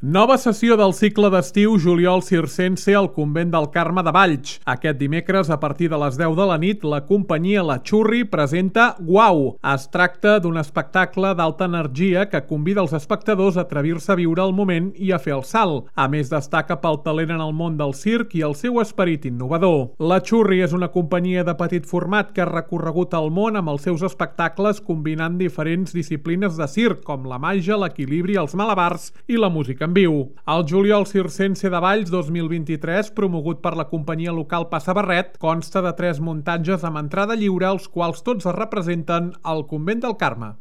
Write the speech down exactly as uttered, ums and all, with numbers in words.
Nova sessió del cicle d'estiu juliol circense al Convent del Carme de Valls. Aquest dimecres, a partir de les deu de la nit, la companyia La Xurri presenta Guau. Es tracta d'un espectacle d'alta energia que convida els espectadors a atrevir-se a viure el moment i a fer el salt. A més, destaca pel talent en el món del circ i el seu esperit innovador. La Xurri és una companyia de petit format que ha recorregut el món amb els seus espectacles combinant diferents disciplines de circ, com la màgia, l'equilibri, els malabars i la música en viu. El juliol circense de Valls dos mil vint-i-tres, promogut per la companyia local Passa Barret, consta de tres muntatges amb entrada lliure, els quals tots es representen al Convent del Carme.